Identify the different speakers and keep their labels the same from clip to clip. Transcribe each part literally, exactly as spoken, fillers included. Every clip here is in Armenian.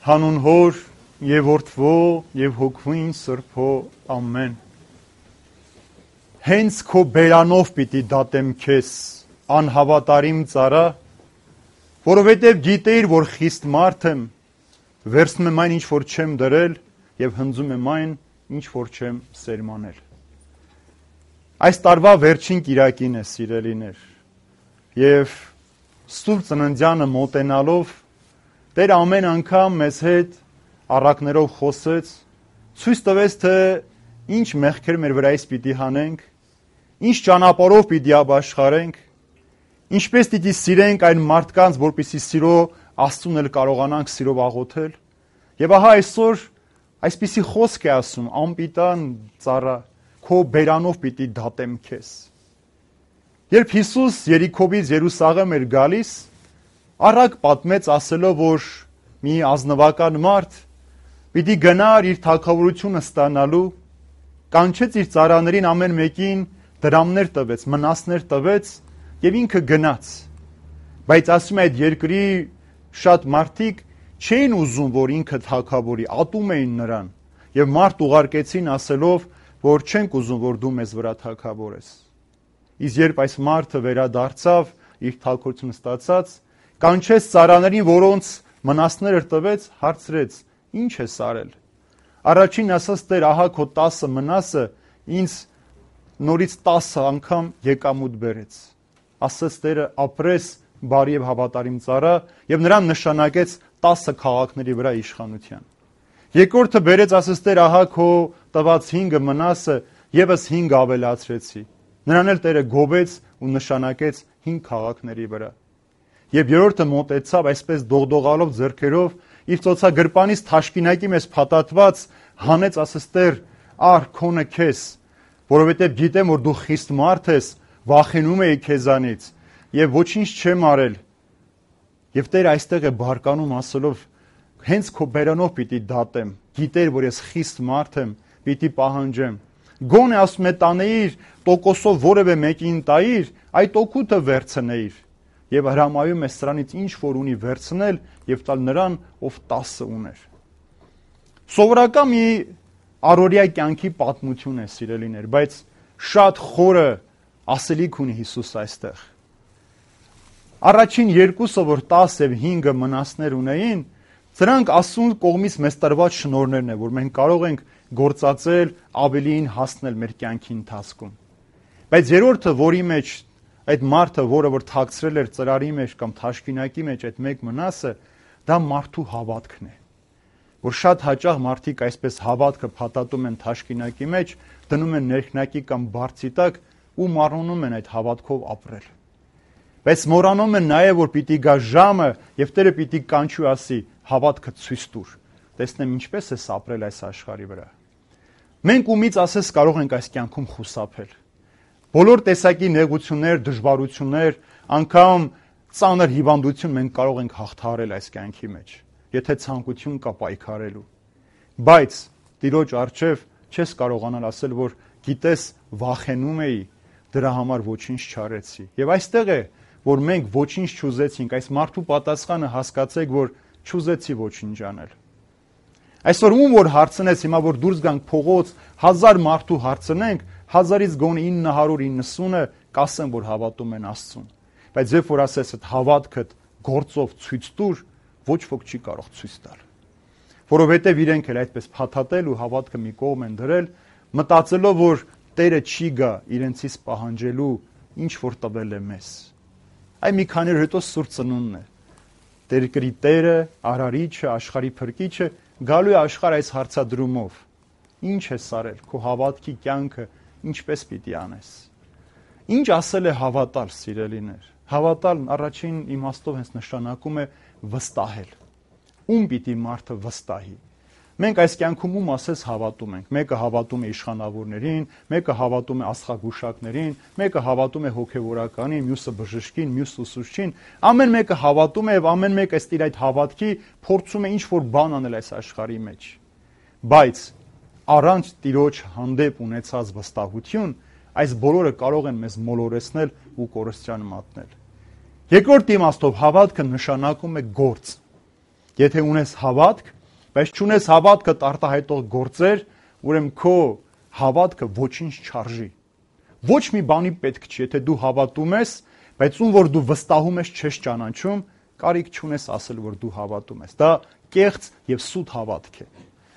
Speaker 1: Հանուն Հոր եւ Որդվո եւ Հոգուին Սրբո ամեն։ Հենց քո բերանով պիտի դատեմ քեզ, անհավատարիմ ծառա, որովհետեւ գիտեիր, որ խիստ մարդ եմ, վերցնում եմ այն, ինչ որ չեմ դրել, եւ հնձում եմ այն, ինչ որ չեմ սերմանել։ Այս տարվա վերջին կիրակին է, սիրելիներ, եւ Սուրբ Ծննդյանը մոտենալով Տեր ամեն անգամ մեզ հետ առակներով խոսեց, ցույց տվեց, թե ինչ մեղքեր մեր վրայից պիտի հանենք, ինչ ճանապարհով պիտի ապաշխարենք, ինչպես պիտի սիրենք այն մարդկանց, որպեսզի սիրո Աստծուն էլ կարողանանք սիրով աղոթել։ Եվ ահա այսօր այսպիսի խոսք է ասում. անպիտան ծառա, քո բերանով պիտի դատեմ քեզ։ Երբ Հիսուս Երիքոյից Երուսաղեմ էր գալիս, առակ պատմեց ասելով, որ մի ազնվական մարդ պիտի գնար իր թագավորությունը ստանալու, կանչեց իր ծառաներին ամեն մեկին դրամներ տվեց, մնասներ տվեց եւ ինքը գնաց։ Բայց ասում է, այդ երկրի շատ մարդիկ չէին ուզում, որ ինքը թագավորի, ատում էին նրան եւ մարդ ուղարկեցին ասելով, որ չենք ուզում, որ դու մեզ վրա թագավորես։ Իսկ երբ այս մարդը վերադարձավ, իր թագավորությունը ստացած, կանչեց ծառաներին, որոնց մնասները տվեց, հարցրեց. ինչ ես արել։ Առաջին ասաց, Տեր, ահա քո տասը մնասը ինձ նորից տասը անգամ եկամուտ բերեց։ Ասաց Տերը, ապրես բարի եւ հավատարիմ ծառա, եւ նրան նշանակեց տասը քաղաքների վրա իշխանության։ Երկրորդը բերեց, ասաց Տեր, ահա քո տված հինգը մնասը եւս հինգ ավելացրեցի։ Նրան էլ Տերը գովեց ու նշանակեց հինգ քաղաքների վրա։ Եվ երրորդը մոտեցավ այսպես դողդողալով ձեռքերով, իր ծոցագրպանից թաշկինակի մեզ փաթաթված հանեց, ասես Տեր, ար քոնը քեզ, որովհետև գիտեմ, որ դու խիստ մարդ ես, վախենում էի քեզանից եւ ոչինչ չեմ արել։ Եվ Տերը այստեղ է բարկանում ասելով, հենց քո բերանով պիտի դատեմ, գիտեր, որ ես խիստ մարդ եմ, պիտի պահանջեմ։ Գոնե ասում է տանեիր, տոկոսով որևէ մեկին տայիր, այդ օգուտը վերցնեիր։ Եվ հրամայում է սրանից ինչ որ ունի վերցնել եւ տալ նրան, ով տասը ուներ։ Սովորական մի առօրյա կյանքի պատմություն է, սիրելիներ, բայց շատ խորը ասելիք ունի Հիսուս այստեղ։ Առաջին երկուսը, որ տասը եւ հինգը մնասներ ունեին, սրանք Աստծուն կողմից մեզ տրված շնորհներն են, որ մենք կարող ենք գործածել, ավելիին հասնել մեր կյանքի ընթացքում։ Բայց երրորդը, որի մեջ այդ մարդը, որը որ թաքցրել էր ծրարի մեջ կամ թաշկինակի մեջ այդ մեկ մնասը, դա մարդու հավատքն է։ Որ շատ հաճախ մարդիկ այսպես հավատքը փաթաթում են թաշկինակի մեջ, դնում են ներքնակի կամ բարձի տակ ու մառնում են այդ հավատքով ապրել։ Բայց մոռանում են նաև, որ պիտի գա ժամը եւ Տերը պիտի կանչի ու ասի. հավատքը ցույց տուր։ Տեսնեմ ինչպես ես ապրել այս աշխարհի վրա։ Մենք ումից ասես կարող ենք այս կյանքում խուսափել։ Բոլոր տեսակի նեղություններ, դժվարություններ, անգամ ծանր հիվանդություն մենք կարող ենք հաղթահարել այս կյանքի մեջ, եթե ցանկություն կա պայքարելու։ Բայց Տիրոջ առջև չես կարողանալ ասել, որ գիտես, վախենում էի, դրա համար ոչինչ չարեցի։ Եվ այստեղ է, որ մենք ոչինչ չուզեցինք, այս մարդու պատասխանը հասկացեք, որ չուզեցի ոչինչ անել։ Այսօր ում որ հարցնես, հիմա որ դուրս գանք փողոց, հազար մարդու հարցնենք, հազարից գոնե ինը հարյուր իննսունը կասեն, որ հավատում են Աստծուն։ Բայց երբ որ ասես այդ հավատքդ գործով ցույց տուր, ոչ ոք չի կարող ցույց տալ։ Որովհետև իրենք էլ այդպես փաթաթել ու հավատքը մի կողմ են դրել, մտածելով, որ Տերը չի գա իրենցից պահանջելու, ինչ որ տվել է մեզ։ Այ մի քանի օր հետո Սուրբ Ծնունդն է։ Տերկրի Տերը, Արարիչը, աշխարհի Փրկիչը գալու է աշխարհ այս հարցադրումով. Ինչ ես արել, քո հավատքի կյանքը ինչպես պիտի անես։ Ինչ ասել է հավատալ, սիրելիներ։ Հավատալ առաջին իմաստով հենց նշանակում է վստահել։ Ում պիտի մարդը վստահի։ Մենք այս կյանքում ում ասես հավատում ենք։ Մեկը հավատում է իշխանավորներին, մեկը հավատում է աստղագուշակներին, մեկը հավատում է հոգևորականին, մյուսը բժշկին, մյուսը ուսուցչին։ Ամեն մեկը հավատում է եւ ամեն մեկը ըստ իր այդ հավատքի փորձում է ինչ որ բան անել այս աշխարհի մեջ։ Բայց առանց Տիրոջ հանդեպ ունեցած վստահություն, այս բոլորը կարող են մեզ մոլորեցնել ու կորստյան մատնել։ Երկրորդ իմաստով հավատքը նշանակում է գործ։ Եթե ունես հավատք, բայց չունես հավատքը արտահայտող գործեր, ուրեմն քո հավատքը ոչինչ չարժի։ Ոչ մի բանի պետք չի, եթե դու հավատում ես, բայց ում որ դու վստահում ես չես ճանաչում, կարիք չունես ասել, որ դու հավատում ես։ Դա կեղծ եւ սուտ հավատք է։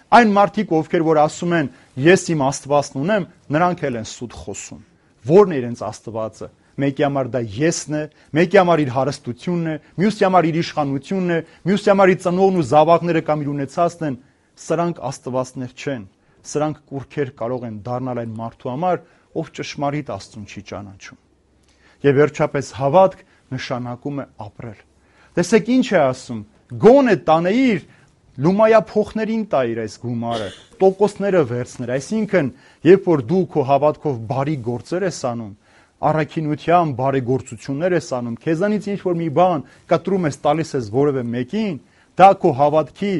Speaker 1: Այն մարդիկ, ովքեր որ ասում են, ես իմ Աստվածն ունեմ, նրանք էլ են սուտ խոսում։ Որն է իրենց Աստվածը։ Մեկի համար դա եսն է, մեկի համար իր հարստությունն է, մյուսի համար իր իշխանությունն է, մյուսի համար իր ծնողն ու զավակները կամ իր ունեցածն են։ Սրանք Աստվածներ չեն։ Սրանք կուրքեր կարող են դառնալ այն մարդու համար, ով ճշմարիտ Աստծուն չի ճանաչում։ Եվ վերջապես հավատք նշանակում է ապրել։ Տեսեք ինչ է ասում. գոնե տանեիր լումայա փոխներին տայիր այս գումարը, տոկոսները վերցներ, այսինքն երբ որ դու քո հավատքով բարի գործեր ես անում, առաքինությամբ բարեգործություններ ես անում, քեզանից ինչ որ մի բան կտրում ես, տալիս ես որևէ մեկին, դա քո հավատքի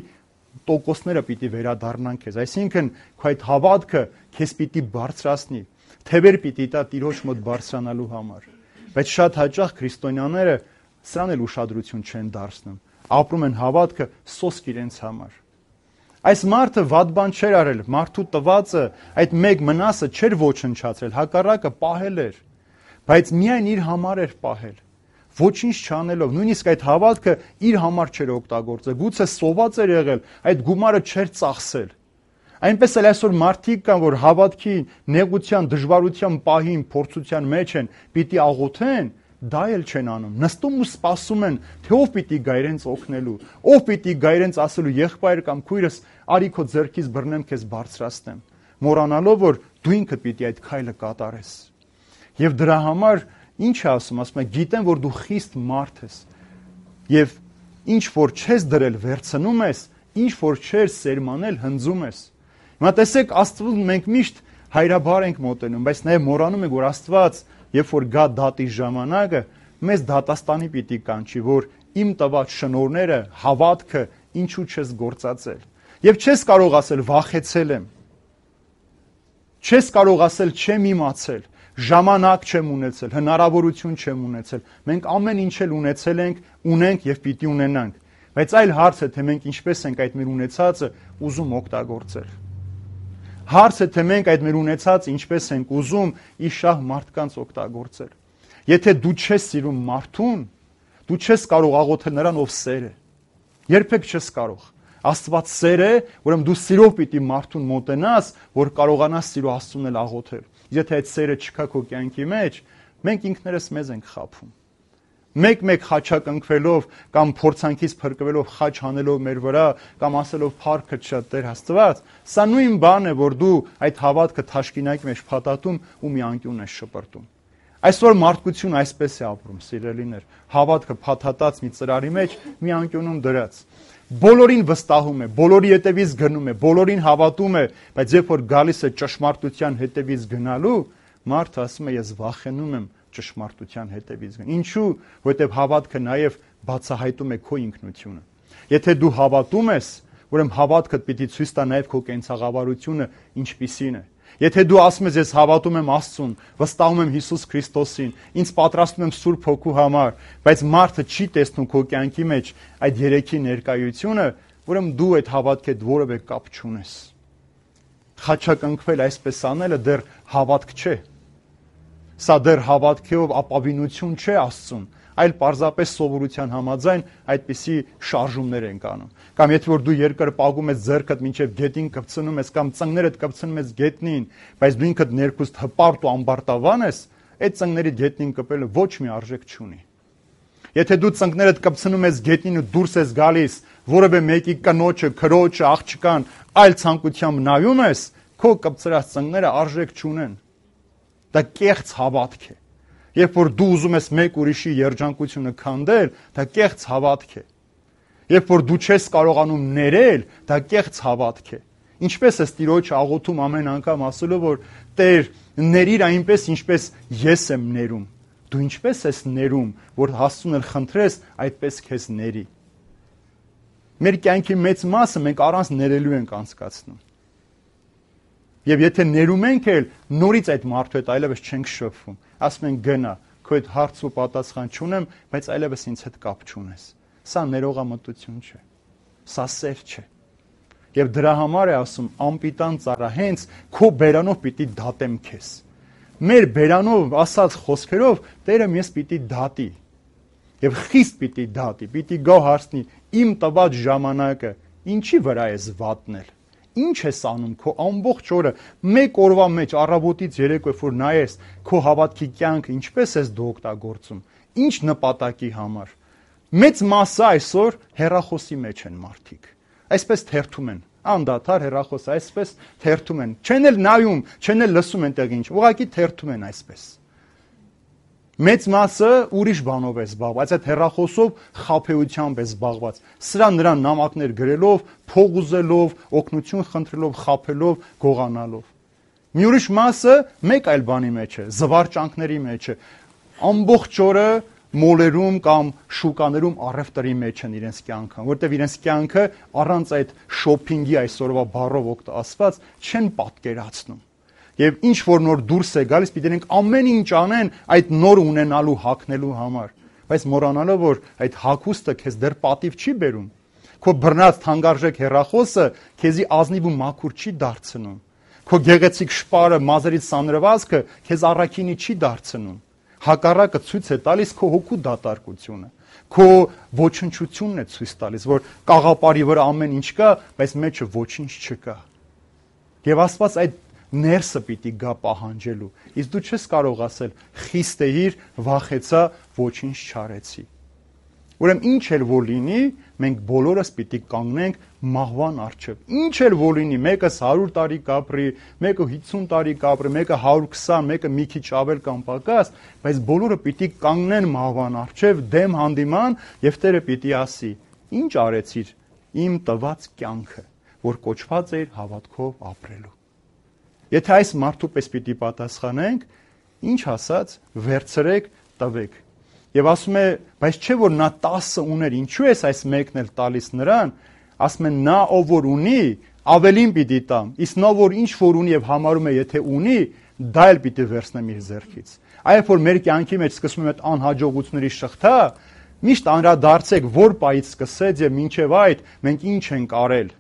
Speaker 1: տոկոսները պիտի վերադառնան քեզ, այսինքն քո այդ հավատքը քեզ պիտի բարձրացնի, թևեր պիտի տա Տիրոջ մոտ բարձրանալու համար։ Բայց շատ հաճախ քրիստոնյաները սրան էլ ուշադրություն չեն դարձնում, ապրում են հավատքը սոսկ իրենց համար։ Այս մարդը վատ բան չէր արել, մարդու տվածը այդ մեկ մնասը չէր ոչնչացրել, հակառակը պահել էր, բայց միայն իր համար էր պահել, ոչինչ չանելով, նույնիսկ այդ հավատքը իր համար չէր օգտագործել, գուցե սոված էր եղել, այդ գումարը չէր ծախսել։ Այնպես էլ այսօր մարդիկ կան, որ հավատքի նեղության, դժվարության պահին, փորձության մեջ են, պիտի աղոթեն, դա էլ չեն անում, նստում ու սպասում են, թե ով պիտի գա իրենց օգնելու, ով պիտի գա իրենց ասելու եղբայր կամ քույրս, արի քո ձեռքից բռնեմ, քեզ բարձրացնեմ, մոռանալով, որ դու ինքդ պիտի այդ քայլը կատարես։ Եվ դրա համար ինչ է ասում, ասում է, գիտեմ, որ դու խիստ մարդ ես, եւ ինչ որ չես դրել, վերցնում ես, ինչ որ չես սերմանել, հնձում ես։ Հիմա տեսեք, Աստծուն մենք միշտ հայրաբար ենք մոտենում, բայց նաև մոռանում ենք, որ Աստված, երբ որ գա դատի ժամանակը, մեզ դատաստանի պիտի կանչի, որ իմ տված շնորհները, հավատքը ինչու չես գործածել։ Եվ չես կարող ասել վախեցել եմ։ Չես կարող ասել չեմ իմացել, ժամանակ չեմ ունեցել, հնարավորություն չեմ ունեցել։ Մենք ամեն ինչ էլ ունեցել ենք, ունենք եւ պիտի ունենանք։ Բայց այլ հարց է, թե մենք ինչպես ենք այդ մեր ունեցածը ուզում օգտագործել։ Հարց է, թե մենք այդ մեր ունեցածը ինչպես ենք ուզում իր շահ մարդկանց օգտագործել։ Եթե դու չես սիրում մարդուն, դու չես կարող աղոթել նրան, ով սեր է։ Երբեք չես կարող։ Աստված սեր է, ուրեմն դու սիրով պիտի մարդուն մոտենաս, որ կարողանաս սիրո Աստծուն էլ աղոթել։ Եթե այդ սերը չկա քո կյանքի մեջ, մենք ինքներս մեզ ենք խաբում։ Մեկ-մեկ խաչակնքվելով կամ փորձանքից փրկվելով խաչ հանելով մեր վրա կամ ասելով փառքը շատ Տեր Աստված, սա նույն բանն է, որ դու այդ հավատքը թաշկինակի մեջ փաթաթում ու մի անկյուն ես շպրտում։ Այսօր մարդկությունը այսպես է ապրում, սիրելիներ, հավատքը փաթաթած մի ծրարի մեջ մի անկյունում դրած։ Բոլորին վստահում է, բոլորի հետևից գնում է, բոլորին հավատում է, բայց երբ որ գալիս է ճշմարտության հետևից գնալու, մարդը ասում է ես վախենում եմ ճշմարտության հետևից գնալ։ Ինչու՞, որովհետև հավատքը նաև բացահայտում է քո ինքնությունը։ Եթե դու հավատում ես, ուրեմն հավատքդ պիտի ցույց տա նաև քո կենցաղավարությունը ինչպիսին է։ Եթե դու ասում ես ես հավատում եմ Աստծուն, վստահում եմ Հիսուս Քրիստոսին, ինձ պատրաստում եմ Սուրբ Հոգու համար, բայց մարդը չի տեսնում քո կյանքի մեջ այդ երեքի ներկայությունը, ուրեմն դու այդ հավատքի հետ որևէ կապ չունես։ Խաչակնքվել այսպես անելը դեռ հավատք չէ։ Սա դեռ հավատքով ապավինություն չէ Աստծուն, այլ պարզապես սովորության համաձայն այդպիսի շարժումներ են անում։ Կամ եթե որ դու երկրպագում ես ձեռքդ մինչև գետին կպցնում ես կամ ծնկներդ կպցնում ես գետնին, բայց դու ինքդ ներքուստ հպարտ ու ամբարտավան ես, այդ ծնկների գետնին կպելը ոչ մի արժեք չունի։ Եթե դու ծնկներդ կպցնում ես գետնին ու դուրս ես գալիս, որևէ մեկի կնոջը, քրոջը, աղջկան այլ ցանկությամբ նայում ես, քո կպցրած ծնկները արժեք չունեն։ Դա կեղծ հավատք է։ Երբ որ դու ուզում ես մեկ ուրիշի երջանկությունը քանդել, դա կեղծ հավատք է։ Երբ որ դու չես կարողանում ներել, դա կեղծ հավատք է։ Ինչպես ես Տիրոջ աղոթում ամեն անգամ ասելով, որ Տեր, ներիր այնպես, ինչպես ես եմ ներում։ Դու ինչպես ես ներում, որ Աստծուն էլ խնդրես, այդպես քեզ ների։ Մեր կյանքի մեծ մասը մենք առանց ներելու ենք անցկացնում։ Եվ եթե ներում ենք էլ, նորից այդ մարդու հետ այլևս չենք շփվում։ Ասում ենք գնա, քո հետ հարց ու պատասխան չունեմ, բայց այլևս ինձ հետ կապ չունես։ Սա ներողամտություն չէ։ Սա սեր չէ։ Եվ դրա համար է ասում անպիտան ծառա, հենց քո բերանով պիտի դատեմ քեզ։ Մեր բերանով ասած խոսքերով Տերը մեզ պիտի դատի։ Եվ խիստ պիտի դատի, պիտի գա հարցնի իմ տված ժամանակը ինչի վրա ես վատնել։ Ինչ ես անում քո ամբողջ օրը մեկ օրվա մեջ առավոտից երեկո որ նայես քո հավատքի կյանքը ինչպես ես դու օգտագործում, ինչ նպատակի համար։ Մեծ մասը այսօր հեռախոսի մեջ են մարդիկ։ Այսպես թերթում են, անդադար հեռախոս, այսպես թերթում են, չեն էլ նայում, չեն էլ լսում այնտեղ ինչ, ուղղակի թերթում են այսպես։ Մեծ մասը ուրիշ բանով է զբաղված, այդ հեռախոսով խաբեությամբ է զբաղված, սրա նրան նամակներ գրելով, փող ուզելով, օգնություն խնդրելով, խաբելով, գողանալով։ Մի ուրիշ մասը մեկ այլ բանի մեջ է, զվարճանքների մեջ է, ամբողջ օրը մոլերում կամ շուկաներում առևտրի մեջ են իրենց կյանքը, որտեղ իրենց կյանքը առանց այդ շոփինգի այսօրվա բառով ասված չեն պատկերացնում։ Եվ ինչ որ նոր դուրս է գալիս, պիտի դրանք ամեն ինչ անեն այդ նոր ունենալու հագնելու համար, բայց մոռանալով որ այդ հագուստը քեզ դեռ պատիվ չի բերում։ Քո բռնած թանկարժեք հեռախոսը քեզի ազնիվ ու մաքուր չի դարձնում։ Քո գեղեցիկ շպարը, մազերից սանրվածքը քեզ առաքինի չի դարձնում։ Հակառակը ցույց է տալիս քո հոգու դատարկությունը, քո ոչնչությունն է ցույց տալիս, որ կաղապարի վրա ամեն ինչ կա, բայց մեջը ոչինչ չկա։ Եվ Աստված այդ ներսը պիտի գա պահանջելու, իսկ դու չես կարող ասել խիստ էիր, վախեցա, ոչինչ չարեցի։ Ուրեմն ինչ էլ որ լինի, մենք բոլորս պիտի կանգնենք մահվան առջև։ Ինչ էլ որ լինի, մեկս հարյուր տարի կապրի, մեկը հիսուն տարի կապրի, մեկը հարյուր քսան, մեկը մի քիչ ավել կամ պակաս, բայց բոլորը պիտի կանգնեն մահվան առջև, դեմ հանդիման, եւ Տերը պիտի ասի. Ինչ արեցիր իմ տված կյանքը, որ կոչված էր հավատքով ապրելու։ Եթե այս մարդու պես պիտի պատասխանենք, ինչ ասած, վերցրեք, տվեք։ Եվ ասում է, բայց չէ որ նա տասը ուներ, ինչու ես այս մեկն էլ տալիս նրան, ասում է նա ով որ ունի, ավելին պիտի տամ, իսկ նա որ ինչ որ ունի եւ համարում է եթե ունի, դա էլ պիտի վերցնեմ իր ձեռքից։ Այո որ մեր կյանքի մեջ սկսում է այդ անհաջողությունների շղթա, միշտ անդրադարձեք որ պայից սկսեց եւ մինչեւ այդ մենք ինչ ենք արել։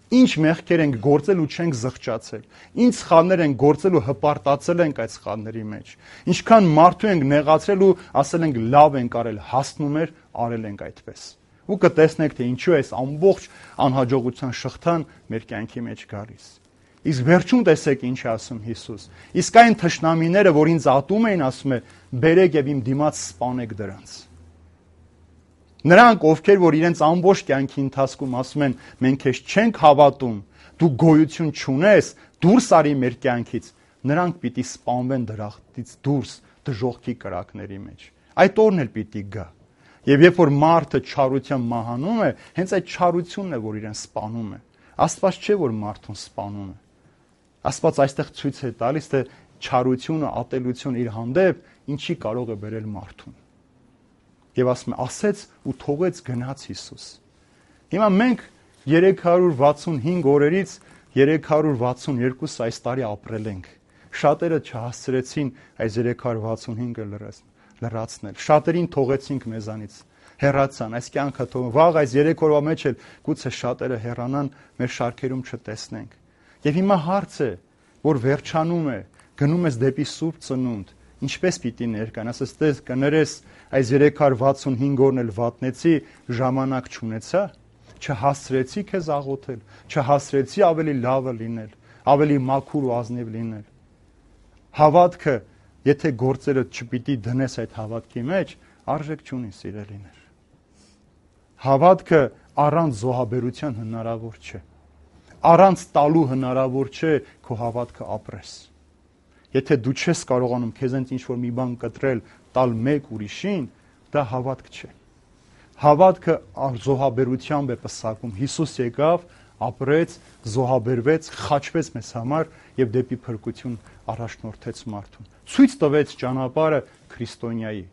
Speaker 1: Ինչ մեղքեր ենք գործել ու չենք զղջացել, ինչ սխալներ ենք գործել ու հպարտացել ենք այդ սխալների մեջ, ինչքան մարդու ենք նեղացրել ու ասել ենք լավ ենք արել, հասնում էր, արել ենք այդպես։ Ու կտեսնեք, թե ինչու է այս ամբողջ անհաջողության շղթան մեր կյանքի մեջ գալիս։ Իսկ վերջում տեսեք ինչ է ասում Հիսուս։ Իսկ այն թշնամիները, որ ինձ ատում էին, ասում է, բերեք եւ իմ դիմաց սպանեք դրանց։ Նրանք, ովքեր որ իրենց ամբողջ կյանքի ընթացքում ասում են, մենք քեզ չենք հավատում, դու գոյություն չունես, դուրս արի մեր կյանքից, նրանք պիտի սպանվեն դրախտից դուրս դժոխքի կրակների մեջ։ Այդ օրն էլ պիտի գա։ Եվ երբ որ մարդը չարության մահանում է, հենց այդ չարությունն է, որ իրեն սպանում է։ Աստված չէ, որ մարդուն սպանում է։ Աստված այստեղ ցույց է տալիս, թե չարությունը, ատելությունը իր հանդեպ ինչի կարող է բերել մարդուն։ Եվ ասում է, ասեց ու թողեց գնաց Հիսուս։ Հիմա մենք երեք հարյուր վաթսունհինգ օրերից երեք հարյուր վաթսունյոթ այս տարի ապրել ենք։ Շատերը չհասցրեցին այս երեք հարյուր վաթսունհինգը լրացնել։ Շատերին թողեցինք մեզանից, հեռացան, այս կյանքը թող վաղ այս երեք օրվա մեջ էլ գուցե շատերը հեռանան, մեր շարքերում չտեսնենք։ Եվ հիմա հարց է, որ վերջանում է, գնում ես դեպի Սուրբ Ծնունդ, ինչպես պիտի ներկան, ասես տես կներես այս երեք հարյուր վաթսունհինգ օրն էլ վատնեցի, ժամանակ չունեցա, չհասցրեցի քեզ աղոթել, չհասցրեցի ավելի լավը լինել, ավելի մաքուր ու ազնիվ լինել։ Հավատքը, եթե գործերը չպիտի դնես այդ հավատքի մեջ, արժեք չունի սիրելիներ։ Հավատքը առանց զոհաբերության հնարավոր չէ։ Առանց տալու հնարավոր չէ քո հավատքը ապրես։ Եթե դու չես կարողանում քեզանից ինչ-որ մի բան կտրել, տալ մեկ ուրիշին, դա հավատք չէ։ Հավատքը զոհաբերությամբ է պսակում։ Հիսուս եկավ, ապրեց, զոհաբերվեց, խաչվեց մեզ համար եւ դեպի փրկություն առաջնորդեց մարդուն։ Ցույց տվեց ճանապարհը քրիստոնյայի։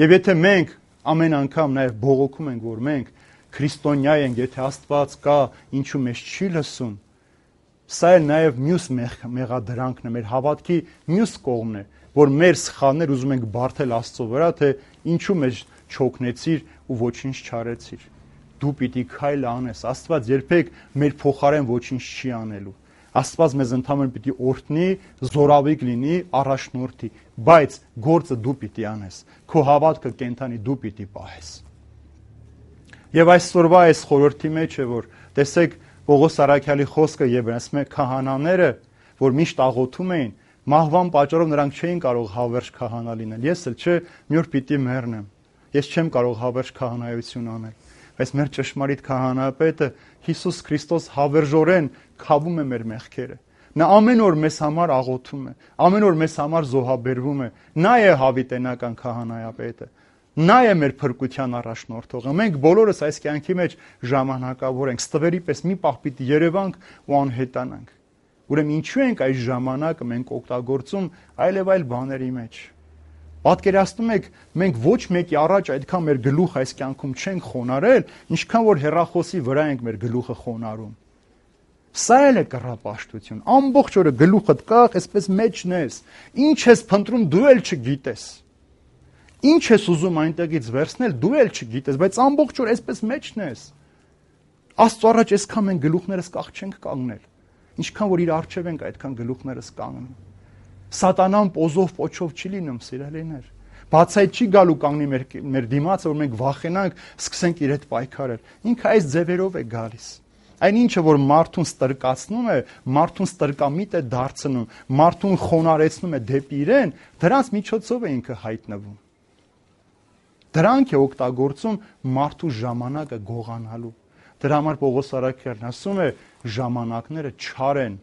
Speaker 1: Եվ եթե մենք ամեն անգամ նաեւ բողոքում ենք, որ մենք քրիստոնյա ենք, եթե Աստված կա, ինչու մեզ չի լսում, սա էլ նաև մյուս մեղադրանքն է, մեր հավատքի մյուս կողմն է, որ մեր սխալներ ուզում ենք բարթել Աստծո վրա, թե ինչու մեզ չօգնեցիր ու ոչինչ չարեցիր։ դու պիտի քայլ անես։ Աստված երբեք մեր փոխարեն ոչինչ չի անելու։ Աստված մեզ ընդհանրապես պիտի օրհնի, զորավիգ լինի, առաջնորդի, բայց գործը դու պիտի անես։ Քո հավատքը կենթանի դու պիտի պահես։ Եվ այսօրվա այս խորհրդի մեջ է, որ տեսեք Պողոս Առաքյալի խոսքը եւ ասում է քահանաները, որ միշտ աղոթում էին, մահվան պատճառով նրանք չէին կարող հավերժ քահանա լինել։ Ես էլ չէ, մի օր պիտի մեռնեմ։ Ես չեմ կարող հավերժ քահանայություն անել։ Բայց մեր ճշմարիտ քահանապետը Հիսուս Քրիստոս հավերժորեն քավում է մեր մեղքերը։ Նա ամեն օր մեզ համար աղոթում է, ամեն օր մեզ համար զոհաբերվում է։ Նա է հավիտենական քահանայապետը։ Նա է մեր փրկության առաջնորդողը։ Մենք բոլորս այս կյանքի մեջ ժամանակավոր ենք, ստվերի պես մի պահ պիտի երևանք ու անհետանանք։ Ուրեմն ինչու ենք այս ժամանակը մենք օգտագործում այլ եւ այլ բաների մեջ։ Պատկերացնում եք, մենք ոչ մեկի առաջ այդքան մեր գլուխը այս կյանքում չենք խոնարել, ինչքան որ հեռախոսի վրա ենք մեր գլուխը խոնարում։ Սա էլ է կռապաշտություն։ Ամբողջ օրը գլուխդ կախ, այսպես մեջն ես։ Ինչ ես փնտրում, դու էլ չգիտես։ Ինչ ես ուզում այնտեղից վերցնել, դու էլ չգիտես, բայց ամբողջ օր այսպես մեջն ես։ Աստծո առաջ այսքան մենք գլուխներս կախ չենք կանգնել։ Ինչքան որ իր առջև ենք այդքան գլուխներս կանգնում։ Սատանան պոզով պոչով չի լինում, սիրելիներ։ Բացայ չի գալու կանգնի մեր մեր դիմացը, որ մենք վախենանք, սկսենք իր հետ պայքարել։ Ինքը այս ձևերով է գալիս։ Այն ինչը որ մարդուն ստրկացնում է, մարդուն ստրկամիտ է դարձնում, մարդուն խոնարեցնում է դեպի իրեն, դրանց միջոցով է ինքը հայտնվում։ Դրանք է օգտագործում մարդու ժամանակը գողանալու։ Դրա համար Պողոս Առաքյալն ասում է ժամանակները չար են,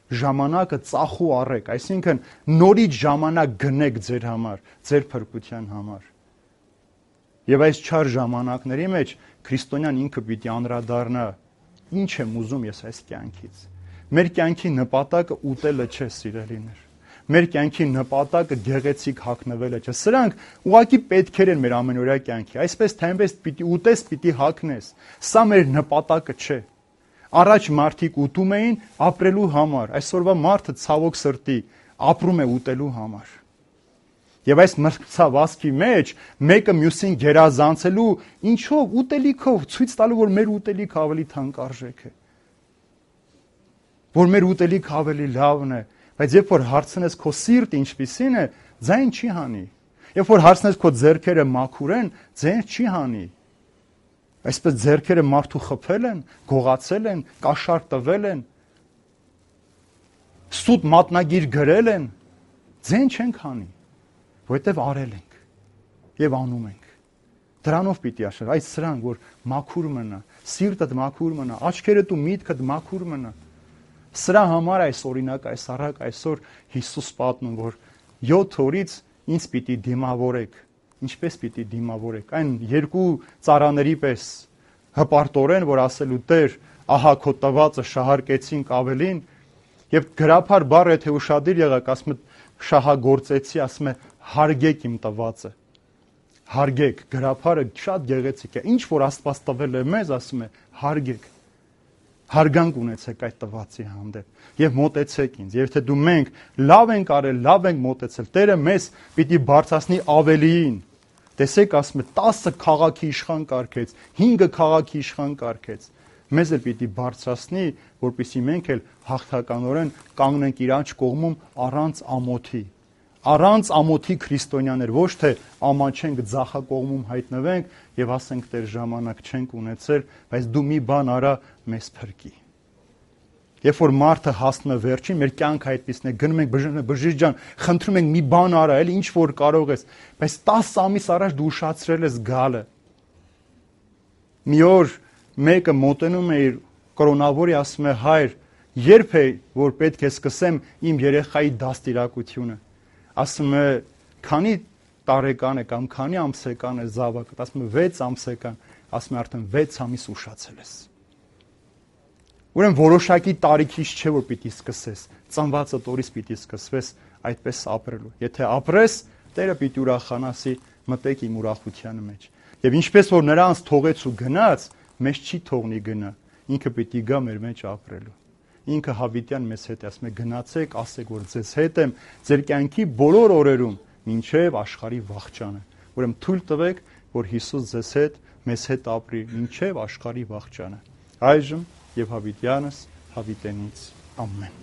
Speaker 1: ժամանակը ծախու առեք, այսինքն նորից ժամանակ գնեք ձեր համար, ձեր փրկության համար։ Եվ այս չար ժամանակների մեջ քրիստոնյան ինքը պիտի անդրադառնա, ինչ եմ ուզում ես այս կյանքից։ Մեր կյանքի նպատակը ուտելը չէ, սիրելիներ։ Մեր կյանքի նպատակը գեղեցիկ հագնվելը չէ։ Սրանք ուղղակի պետքեր են մեր ամենօրյա կյանքի։ Այսպես թե այնպես պիտի ուտես, պիտի հագնես։ Սա մեր նպատակը չէ։ Առաջ մարդիկ ուտում էին ապրելու համար, այսօրվա մարդը ցավոք սրտի ապրում է ուտելու համար։ Եվ այս մրցավազքի մեջ մեկը մյուսին գերազանցելու ինչով ուտելիքով ցույց տալու, որ մեր ուտելիքը ավելի թանկարժեք է։ Որ մեր ուտելիքը ավելի լավն է, բայց երբ որ հարցնես քո սիրտը ինչպիսին է, ձայն չի հանի։ Երբ որ հարցնես քո ձեռքերը մաքուր են, ձայն չի հանի։ Այսպես ձեռքերը մարդու խփել են, գողացել են, կաշառ տվել են, սուտ մատնագիր գրել են, ձեն չենք հանի, որովհետև արել ենք եւ անում ենք։ Դրանով պիտի աշխատ, այս սրանք, որ մաքուր մնա, սիրտդ մաքուր մնա, աչքերդ ու միտքդ մաքուր մնա։ Սրա համար այս օրինակ, այս առակ այսօր Հիսուս պատմում, որ յոթ օրից ինձ պիտի դիմավորեք։ Ինչպես պիտի դիմավորեք։ Այն երկու ծառաների պես հպարտորեն, որ ասելու Տեր, ահա քո տվածը շահարկեցինք ավելին, եւ գրափար բառը թե ուշադիր եղաք, ասում է շահագործեցի, ասում է հարգեք իմ տվածը։ Հարգեք, գրափարը շատ գեղեցիկ է։ Ինչ որ Աստված տվել է մեզ, ասում է հարգեք։ Հարգանք ունեցեք այդ տվածի հանդեպ եւ մոտեցեք ինձ։ Եվ թե դու մենք լավ ենք արել, լավ ենք մոտեցել, Տերը մեզ պիտի բարձրացնի ավելիին։ Տեսեք, ասում է տասը քաղաքի իշխան կարգեց, հինգը քաղաքի իշխան կարգեց։ Մեզ էլ պիտի բարձրացնի, որպեսզի մենք էլ հաղթականորեն կանգնենք իրանց կողմում առանց ամոթի։ Առանց ամոթի քրիստոնյաներ, ոչ թե ամանչենք ձախակողմում հայտնվենք եւ ասենք Տեր ժամանակ չենք ունեցել, բայց դու մի բան արա մեզ փրկի։ Երբ որ մարդը հասնում է վերջին, մեր կյանքը այդպիսն է, գնում ենք բժիշկ ջան, խնդրում ենք մի բան արա, էլի ինչ որ կարող ես, բայց տասը ամիս առաջ դու ուշացրել ես գալը։ Մի օր մեկը մոտենում է իր կրոնավորի, ասում է հայր, երբ է որ պետք է սկսեմ իմ երեխայի դաստիարակությունը։ Ասում է քանի տարեկան է կամ քանի ամսեկան է զավակը, ասում է վեց ամսեկան, ասում է արդեն վեց ամիս ուշացել ես։ Ուրեմն որոշակի տարիքից չէ որ պիտի սկսես, ծնվածդ օրից պիտի սկսվես այդպես ապրելու։ Եթե ապրես, Տերը պիտի ուրախանասի, մտեք իմ ուրախության մեջ։ Եվ ինչպես որ նրանց թողեց ու գնաց, մեզ չի թողնի գնա, ինքը պիտի գա մեր մեջ ապրելու։ Ինքը հավիտյան մեզ հետ է, ասում է գնացեք, ասեք որ ձեզ հետ եմ, ձեր կյանքի բոլոր օրերում, մինչև աշխարհի վախճանը։ Ուրեմն թույլ տվեք, որ Հիսուս ձեզ հետ մեզ հետ ապրի մինչև աշխարհի վախճանը։ Այժմ եւ հավիտյանս հավիտենից ամեն։